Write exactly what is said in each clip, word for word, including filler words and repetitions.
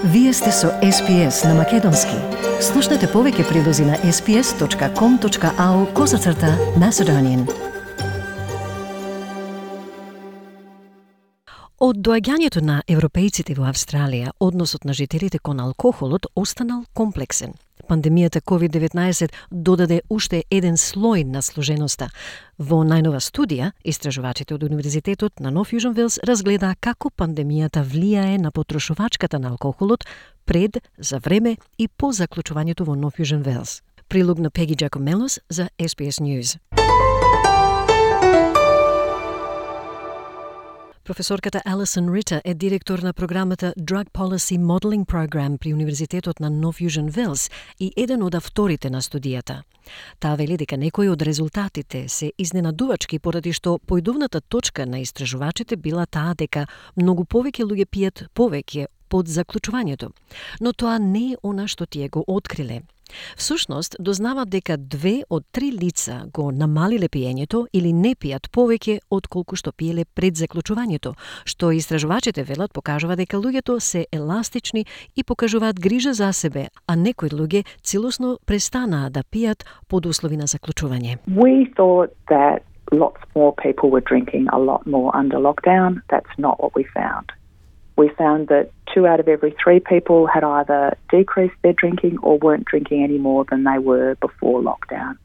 Вие сте со Ес Би Ес на Македонски. Слушнете повеќе прилози на ес би ес точка ком точка ау козацрта Macedonian. Од доаѓањето на европејците во Австралија, односот на жителите кон алкохолот останал комплексен. Пандемијата ковид деветнаесет додаде уште еден слој на сложеноста. Во најнова студија, истражувачите од Универзитетот на Нов Јужен Велс разгледа како пандемијата влијае на потрошувачката на алкохолот пред, за време и по заклучувањето во Нов Јужен Велс. Прилог на Пеги Джакомелос за Ес Би Ес News. Професорката Алисон Рита е директор на програмата Drug Policy Modeling Program при Универзитетот на Нов Јужен Велс и еден од авторите на студијата. Таа вели дека некои од резултатите се изненадувачки поради што поидовната точка на истражувачите била таа дека многу повеќе луѓе пијат повеќе под заклучувањето, но тоа не е она што тие го откриле. Всушност, дознават дека две од три лица го намалиле пиењето или не пијат повеќе од колку што пиеле пред заклучувањето, што истражувачите велат покажува дека луѓето се еластични и покажуваат грижа за себе, а некои луѓе целосно престанаа да пијат под услови на заклучување. We thought that lots more people were drinking a lot more under lockdown. That's not what we found. We found that two out of every three people had either decreased their drinking or weren't drinking any more than they were before lockdown.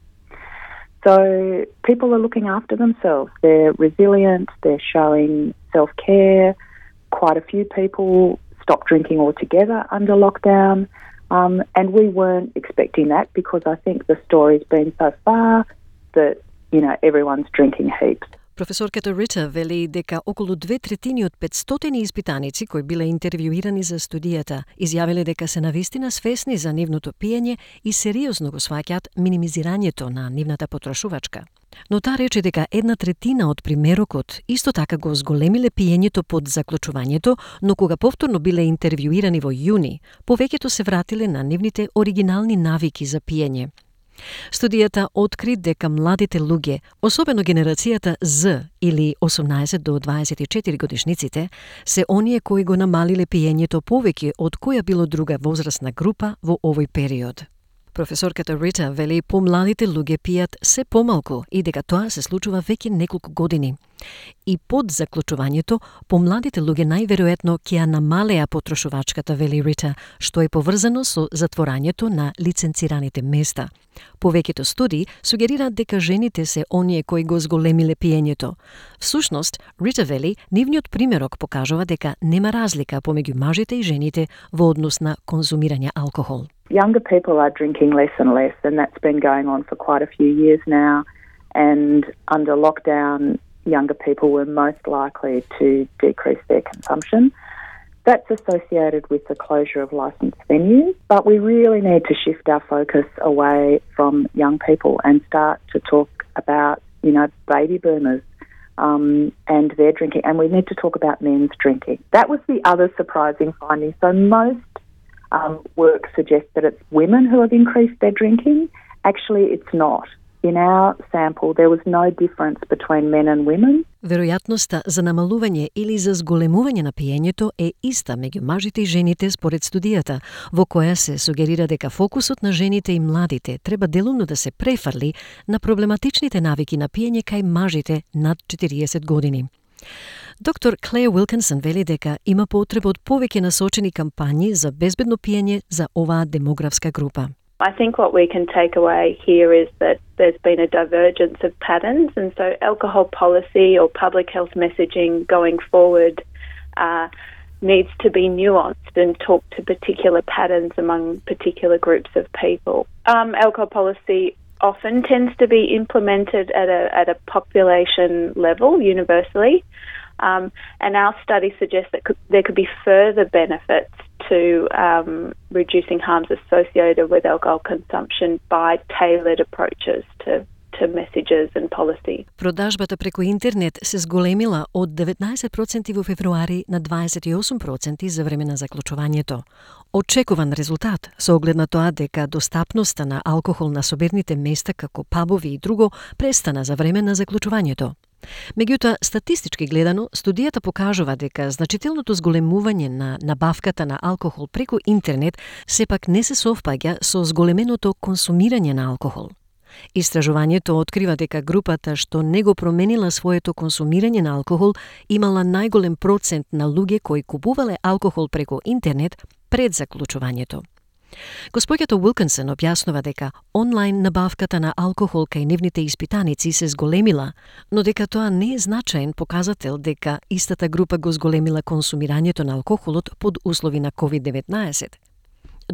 So people are looking after themselves. They're resilient, they're showing self-care. Quite a few people stopped drinking altogether under lockdown. Um, and we weren't expecting that because I think the story's been so far that, you know, everyone's drinking heaps. Професорката Рита вели дека околу две третини од петстотини испитаници кои биле интервјуирани за студијата изјавиле дека се навистина свесни за нивното пиење и сериозно го сваќаат минимизирањето на нивната потрошувачка. Но таа рече дека една третина од примерокот исто така го зголемиле пиењето под заклучувањето, но кога повторно биле интервјуирани во јуни, повеќето се вратиле на нивните оригинални навики за пиење. Студијата откри дека младите луѓе, особено генерацијата Z или осумнаесет до дваесет и четири годишниците, се оние кои го намалиле пиењето повеќе од која било друга возрастна група во овој период. Професорката Рита вели помладите луѓе пијат се помалку и дека тоа се случува веќе неколку години. И под заклучувањето, помладите луѓе најверојатно ќе ја намалеа потрошувачката, вели Рита, што е поврзано со затворањето на лиценцираните места. Повеќето студии сугерираат дека жените се оние кои го зголемиле пиењето. Всушност, Рита вели, нивниот примерок покажува дека нема разлика помеѓу мажите и жените во однос на конзумирање алкохол. Younger people are drinking less and less, and that's been going on for quite a few years now. And under lockdown, younger people were most likely to decrease their consumption. That's associated with the closure of licensed venues, but we really need to shift our focus away from young people and start to talk about, you know, baby boomers um, and their drinking, and we need to talk about men's drinking. That was the other surprising finding. So most um, work suggests that it's women who have increased their drinking. Actually, it's not. In our sample, there was no difference between men and women. Веројатноста за намалување или за зголемување на пиењето е иста меѓу мажите и жените според студијата, во која се сугерира дека фокусот на жените и младите треба делумно да се префрли на проблематичните навики на пиење кај мажите над четириесет години. Доктор Клеја Уилкинсон вели дека има потреба од повеќе насочени кампањи за безбедно пиење за оваа демографска група. I think what we can take away here is that there's been a divergence of patterns, and so alcohol policy or public health messaging going forward uh, needs to be nuanced and talk to particular patterns among particular groups of people. Um, alcohol policy often tends to be implemented at a at a population level universally, um, and our study suggests that could, there could be further benefits to um, reducing harms associated with alcohol consumption by tailored approaches to to messages and policy. Продажбата преку интернет се зголемила од деветнаесет проценти во февруари на дваесет и осум проценти за време на заклучувањето. Очекуван резултат со оглед на тоа дека достапноста на алкохол на соберните места како пабови и друго престана за време на заклучувањето. Меѓутоа, статистички гледано, студијата покажува дека значителното зголемување на набавката на алкохол преку интернет сепак не се совпаѓа со зголеменото консумирање на алкохол. Истражувањето открива дека групата што не го променила своето консумирање на алкохол имала најголем процент на луѓе кои купувале алкохол преку интернет пред заклучувањето. Госпоѓата Уилкинсон објаснува дека онлайн набавката на алкохол кај нивните испитаници се зголемила, но дека тоа не е значаен показател дека истата група го зголемила консумирањето на алкохолот под услови на ковид деветнаесет.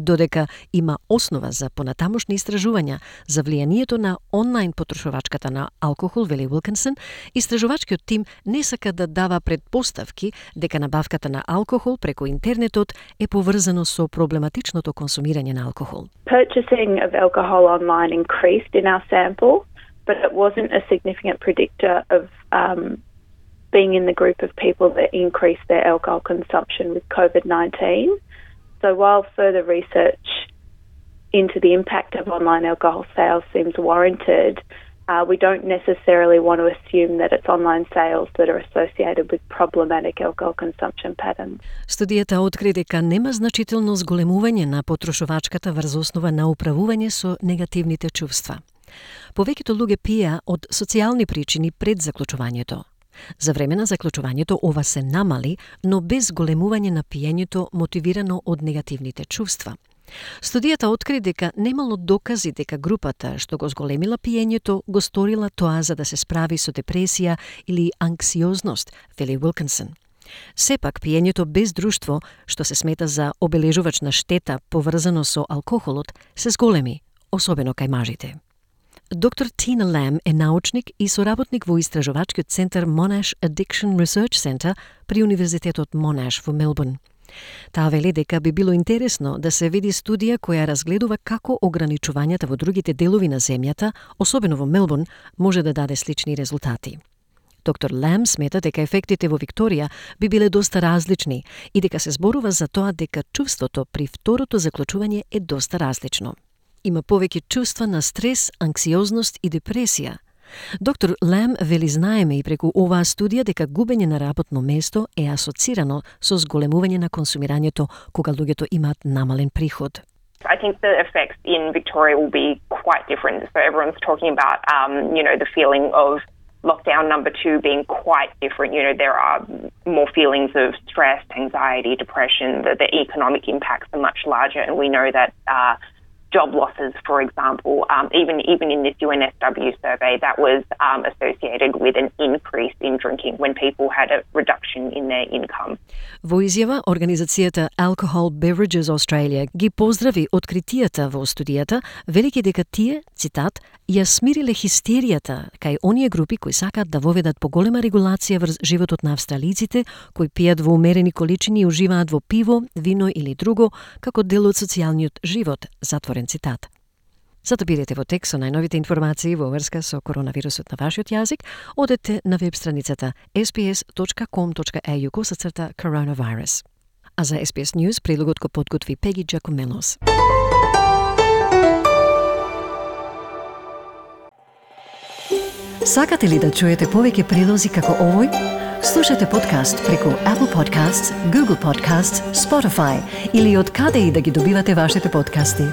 Додека има основа за понатамошни истражувања за влијанието на онлайн потрошувачката на алкохол, вели Уилкинсон, истражувачкиот тим не сака да дава предпоставки дека набавката на алкохол преку интернетот е поврзано со проблематичното консумирање на алкохол. Purchasing of alcohol online increased in our sample, but it wasn't a significant predictor of um, being in the group of people that increased their alcohol consumption with COVID nineteen. So while further research into the impact of online alcohol sales seems warranted, uh, we don't necessarily want to assume that it's online sales that are associated with problematic alcohol consumption patterns. Студијата откри дека нема значително зголемување на потрошувачката врз основа на управување со негативните чувства. Повеќето луѓе пиеа од социјални причини пред заклучувањето. За време на заклучувањето ова се намали, но без големување на пиењето мотивирано од негативните чувства. Студијата откри дека немало докази дека групата што го зголемила пиењето го сторила тоа за да се справи со депресија или анксиозност, вели Уилкинсон. Сепак пиењето без друштво, што се смета за обележувачна штета поврзано со алкохолот, се зголеми, особено кај мажите. Доктор Тина Лам е научник и соработник во истражувачкиот центар Monash Addiction Research Center при Универзитетот Monash во Мелбурн. Таа вели дека би било интересно да се види студија која разгледува како ограничувањата во другите делови на земјата, особено во Мелбурн, може да даде слични резултати. Доктор Лам смета дека ефектите во Викторија би биле доста различни и дека се зборува за тоа дека чувството при второто заклучување е доста различно. Има повеќе чувства на стрес, анксиозност и депресија. Доктор Лам вели знаеме и преку оваа студија дека губење на работно место е асоцирано со зголемување на консумирањето кога луѓето имаат намален приход. I think the effects in Victoria will be quite different. So everyone's talking about, um, you know, the feeling of lockdown number two being quite different. You know, there are more feelings of stress, anxiety, depression. The, the economic impacts are much larger, and we know that uh, job losses, for example, um, even even in this U N S W survey, that was um, associated with an increase in drinking when people had a reduction in their income. Во изјава, организацијата Alcohol Beverages Australia ги поздрави откритијата во студијата, велики дека тие, цитат, ја смириле хистеријата кај оние групи кои сакаат да воведат поголема регулација врз животот на австралиците, кои пијат во умерени количини и уживаат во пиво, вино или друго, како дел од социјалниот живот, затворен цитат. Зато бидете во тек со најновите информации во врска со коронавирусот на вашиот јазик, одете на веб страницата ес би ес точка ком точка ей ю косацрта coronavirus. А за Ес Би Ес News прилогот го подготви Пеги Джакомелос. Сакате ли да чуете повеќе прилози како овој? Слушате подкаст преку Apple Podcasts, Google Podcasts, Spotify или од каде и да ги добивате вашите подкасти.